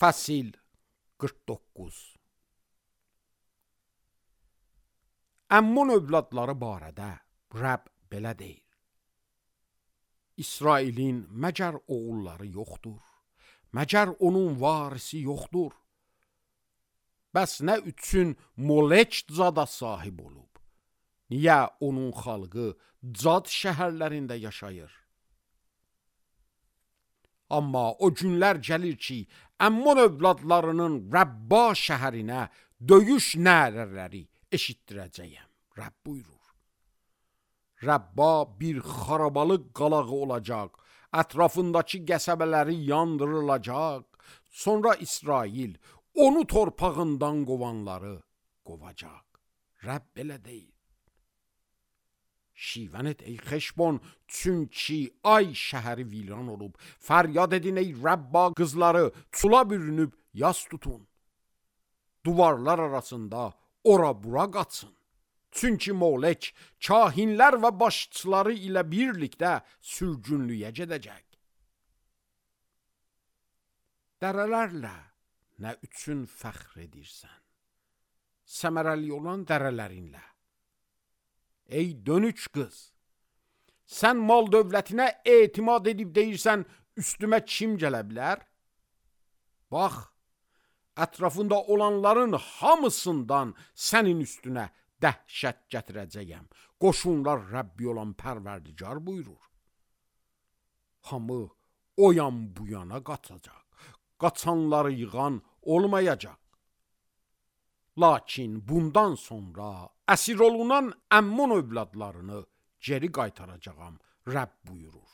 Fəsil 49. Əmmun övladları barədə Rəbb belə deyir: İsrailin məgər oğulları yoxdur, məgər onun varisi yoxdur. Bəs nə üçün Moleç zada sahib olub? Niyə onun xalqı Cad şəhərlərində yaşayır? Amma o günlər gəlir ki, Əmmun övladlarının Rəbba şəhərinə döyüş nərələri eşitdirəcəyəm. Rəbb buyurur. Rəbba bir xarabalıq qalağı olacaq, ətrafındakı qəsəbələri yandırılacaq, sonra İsrail onu torpağından qovanları qovacaq. Rəbb belə deyir. Şivən et ey Xeşbon, çünki ay şəhəri viran olub. Fəryad edin ey Rəbba qızları, çula bürünüb yas tutun. Duvarlar arasında ora bura qaçsın. Çünki Molek kahinlər və başçıları ilə birlikdə sürgünlüyə gedəcək. Dərələrlə nə üçün fəxr edirsən? Səmərəli olan dərələrinlə. Ey dönüç qız, sən mal dövlətinə etimad edib deyirsən, üstümə kim gələ bilər? Bax, ətrafında olanların hamısından sənin üstünə dəhşət gətirəcəyəm. Qoşunlar Rəbbi olan Pərverdigar buyurur. Hamı o yan bu yana qaçacaq, qaçanları yığan olmayacaq. Lakin bundan sonra əsir olunan Əmmun övladlarını geri qaytaracağam, Rəbb buyurur.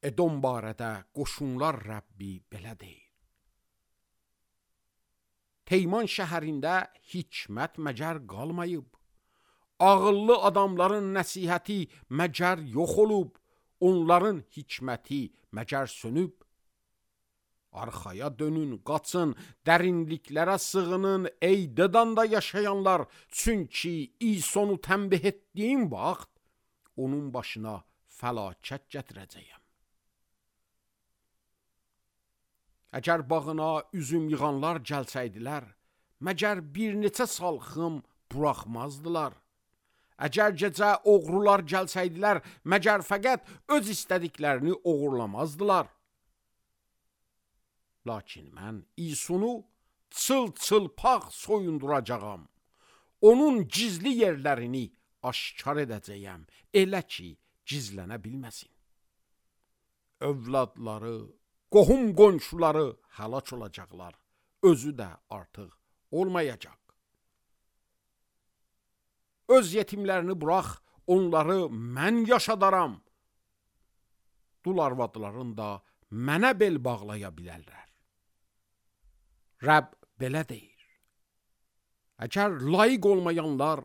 Edom barədə qoşunlar Rəbbi belə deyir. Teyman şəhərində hikmət məgər qalmayıb, ağıllı adamların nəsihəti məgər yox olub, onların hikməti məgər sönüb. Arxaya dönün, qaçın, dərinliklərə sığının, ey Dedanda yaşayanlar, çünki İsonu tənbih etdiyim vaxt, onun başına fəlakət gətirəcəyəm. Əgər bağına üzüm yığanlar gəlsəydilər, məgər bir neçə salxım buraxmazdılar. Əgər gecə oğrular gəlsəydilər, məgər fəqət öz istədiklərini oğurlamazdılar. Lakin mən İsunu çıl-çılpaq soyunduracağam. Onun gizli yerlərini aşkar edəcəyəm, elə ki, gizlənə bilməsin. Övladları, qohum qonşuları həlak olacaqlar, özü də artıq olmayacaq. Öz yetimlərini burax, onları mən yaşadaram. Dul arvadların da mənə bel bağlaya bilərlər. Rəbb belə deyir. Əgər layiq olmayanlar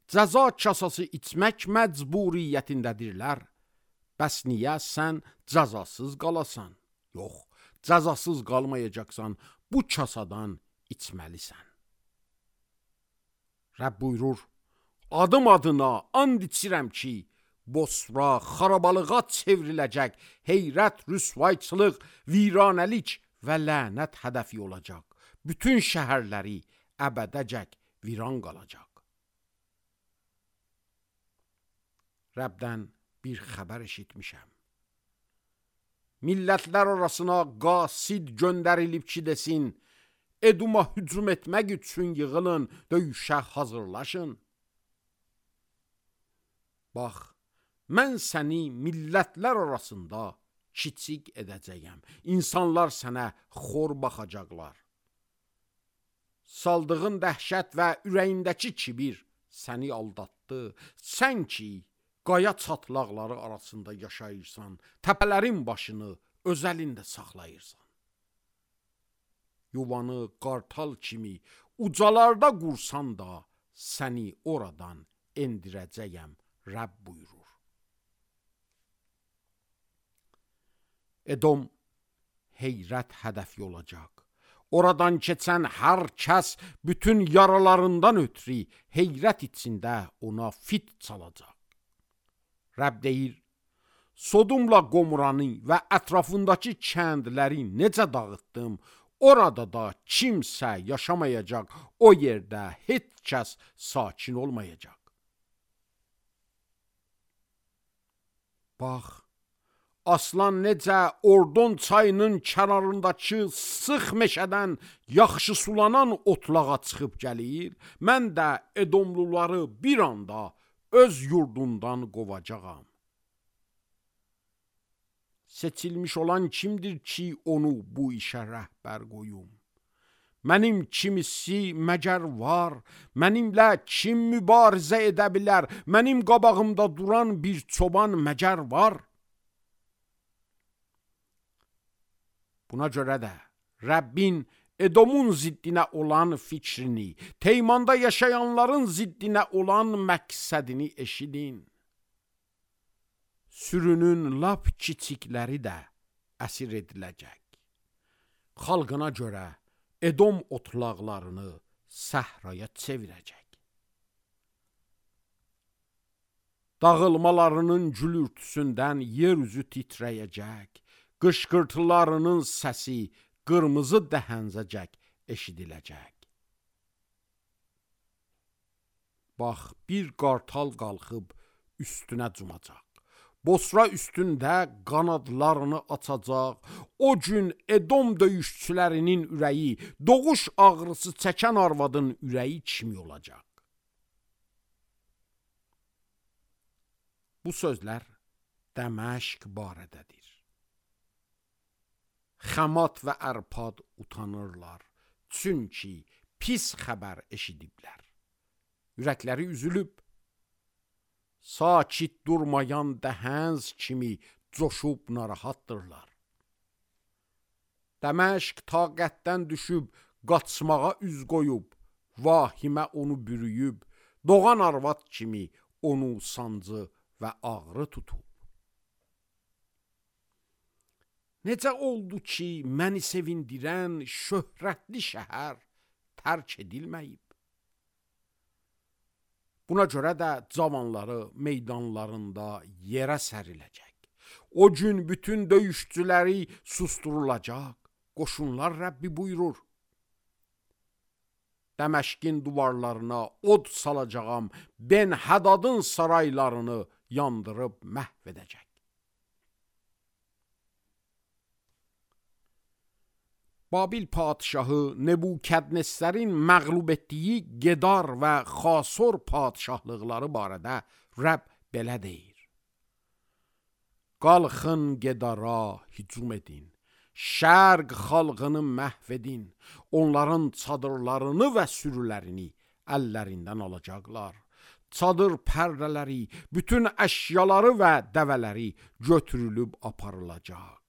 cəza kasası içmək məcburiyyətindədirlər, bəs niyə sən cəzasız qalasan? Yox, cəzasız qalmayacaqsan, bu kasadan içməlisən. Rəbb buyurur, adım adına and içirəm ki, Bosra xarabalığa çevriləcək, heyrət, rüsvayçılıq, viranəlik və lənət hədəfi olacaq. Bütün şəhərləri əbədəcək viran qalacaq. Rəbdən bir xəbər eşitmişəm. Millətlər arasına qasid göndərilib ki desin, Eduma hücum etmək üçün yığılın, döyüşə hazırlaşın. Bax, mən səni millətlər arasında kiçik edəcəyəm. İnsanlar sənə xor baxacaqlar. Saldığın dəhşət və ürəyindəki kibir səni aldatdı. Sən ki, qaya çatlaqları arasında yaşayırsan, təpələrin başını öz əlində saxlayırsan. Yuvanı qartal kimi ucalarda qursan da, səni oradan endirəcəyəm, Rəbb buyurur. Edom heyrət hədəfi olacaq. Oradan keçən hər kəs bütün yaralarından ötürü heyrət içində ona fit çalacaq. Rəbb deyir, Sodumla Qomuranı və ətrafındakı kəndləri necə dağıtdım, orada da kimsə yaşamayacaq, o yerdə heç kəs sakin olmayacaq. Bax, aslan necə Ordon çayının kənarındakı sıx meşədən yaxşı sulanan otlağa çıxıb gəlir, mən də Edomluları bir anda öz yurdundan qovacağam. Seçilmiş olan kimdir ki, onu bu işə rəhbər qoyum? Mənim kimisi məgər var, mənimlə kim mübarizə edə bilər? Mənim qabağımda duran bir çoban məgər var? Buna görə də Rəbbin Edomun ziddinə olan fikrini, Teymanda yaşayanların ziddinə olan məqsədini eşidin. Sürünün lap kiçikləri də əsir ediləcək. Xalqına görə Edom otlaqlarını səhraya çevirəcək. Dağılmalarının gülürtüsündən yer üzü titrəyəcək. Qışqırtılarının səsi qırmızı dəhəncəcək eşidiləcək. Bax, bir qartal qalxıb üstünə cumacaq. Bosra üstündə qanadlarını açacaq. O gün Edom döyüşçülərinin ürəyi, doğuş ağrısı çəkən arvadın ürəyi kimi olacaq. Bu sözlər Dəməşq barədədir. Xamat və Ərpad utanırlar, çünki pis xəbər eşidiblər. Ürəkləri üzülüb, sakit durmayan dəhənz kimi coşub narahatdırlar. Dəməşq taqətdən düşüb, qaçmağa üz qoyub, vahimə onu bürüyüb, doğan arvad kimi onu sancı və ağrı tutub. Necə oldu ki, məni sevindirən şöhrətli şəhər tərk edilməyib? Buna görə də cavanları meydanlarında yerə səriləcək. O gün bütün döyüşçüləri susturulacaq. Qoşunlar Rəbbi buyurur. Dəməşqin duvarlarına od salacağam, Ben-Hədadın saraylarını yandırıb məhv edəcək. Babil padişahı Nebukadnesərin məğlub etdiyi Gedar və Xasor padişahlıqları barədə Rəbb belə deyir. Qalxın Gedara hücum edin, şərq xalqını məhv edin, onların çadırlarını və sürülərini əllərindən alacaqlar. Çadır pərdələri, bütün əşyaları və dəvələri götürülüb aparılacaq.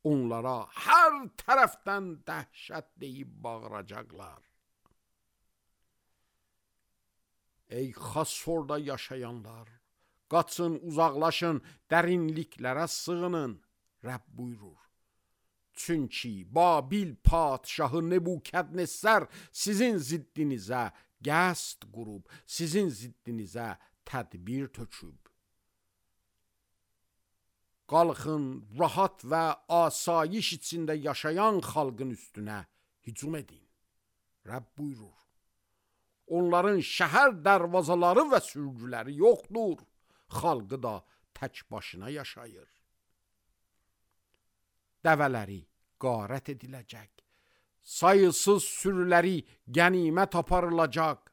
Onlara hər tərəfdən dəhşət deyib bağıracaqlar. Ey Xasorda yaşayanlar, qaçın, uzaqlaşın, dərinliklərə sığının, Rəbb buyurur. Çünki Babil padişahı Nebukadnesər sizin ziddinizə qəsd qurub, sizin ziddinizə tədbir töküb. Qalxın, rahat və asayiş içində yaşayan xalqın üstünə hücum edin. Rəbb buyurur. Onların şəhər dərvazaları və sürgüləri yoxdur. Xalqı da tək başına yaşayır. Dəvələri qarət ediləcək. Sayısız sürüləri qənimət aparılacaq.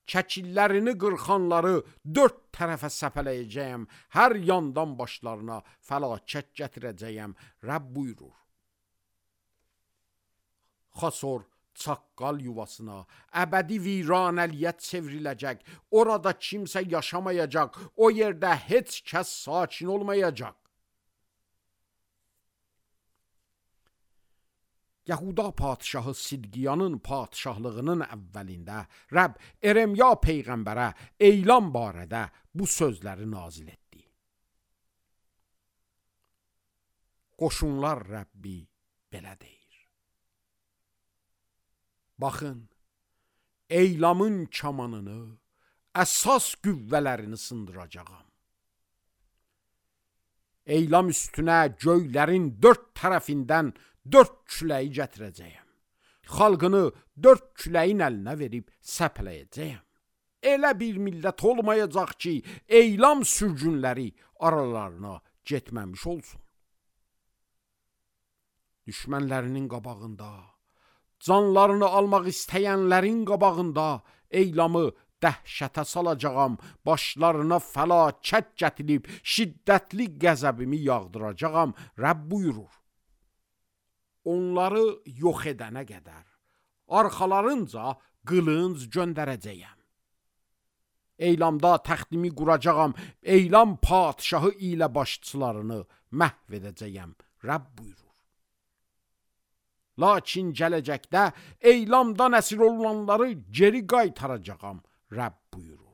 Çəkillərini qırxanları dörd tərəfə səpələyəcəyəm, hər yandan başlarına fəlakət gətirəcəyəm, Rəbb buyurur. Xasor çaqqal yuvasına, əbədi viranəliyə çevriləcək, orada kimsə yaşamayacaq, o yerdə heç kəs sakin olmayacaq. Yahuda padişahı Sidqiyanın padişahlığının əvvəlində Rəbb Eremya peyğəmbərə eyləm barədə bu sözləri nazil etdi. Qoşunlar Rəbbi belə deyir. Baxın, eylamın kamanını, əsas qüvvələrini sındıracağam. Eylam üstünə göylərin 4 tərəfindən 4 küləyi gətirəcəyəm. Xalqını 4 küləyin əlinə verib səpələyəcəyəm. Elə bir millət olmayacaq ki, eylam sürgünləri aralarına getməmiş olsun. Düşmənlərinin qabağında, canlarını almaq istəyənlərin qabağında eylamı dəhşətə salacağam, başlarına fəlakət gətirib, şiddətli qəzəbimi yağdıracağam, Rəbb buyurur. Onları yox edənə qədər, arxalarınca qılınc göndərəcəyəm. Eylamda təxtimi quracağam, eylam padişahı ilə başçılarını məhv edəcəyəm, Rəbb buyurur. Lakin gələcəkdə eylamdan əsir olunanları geri qaytaracağam, Rəbb buyurur.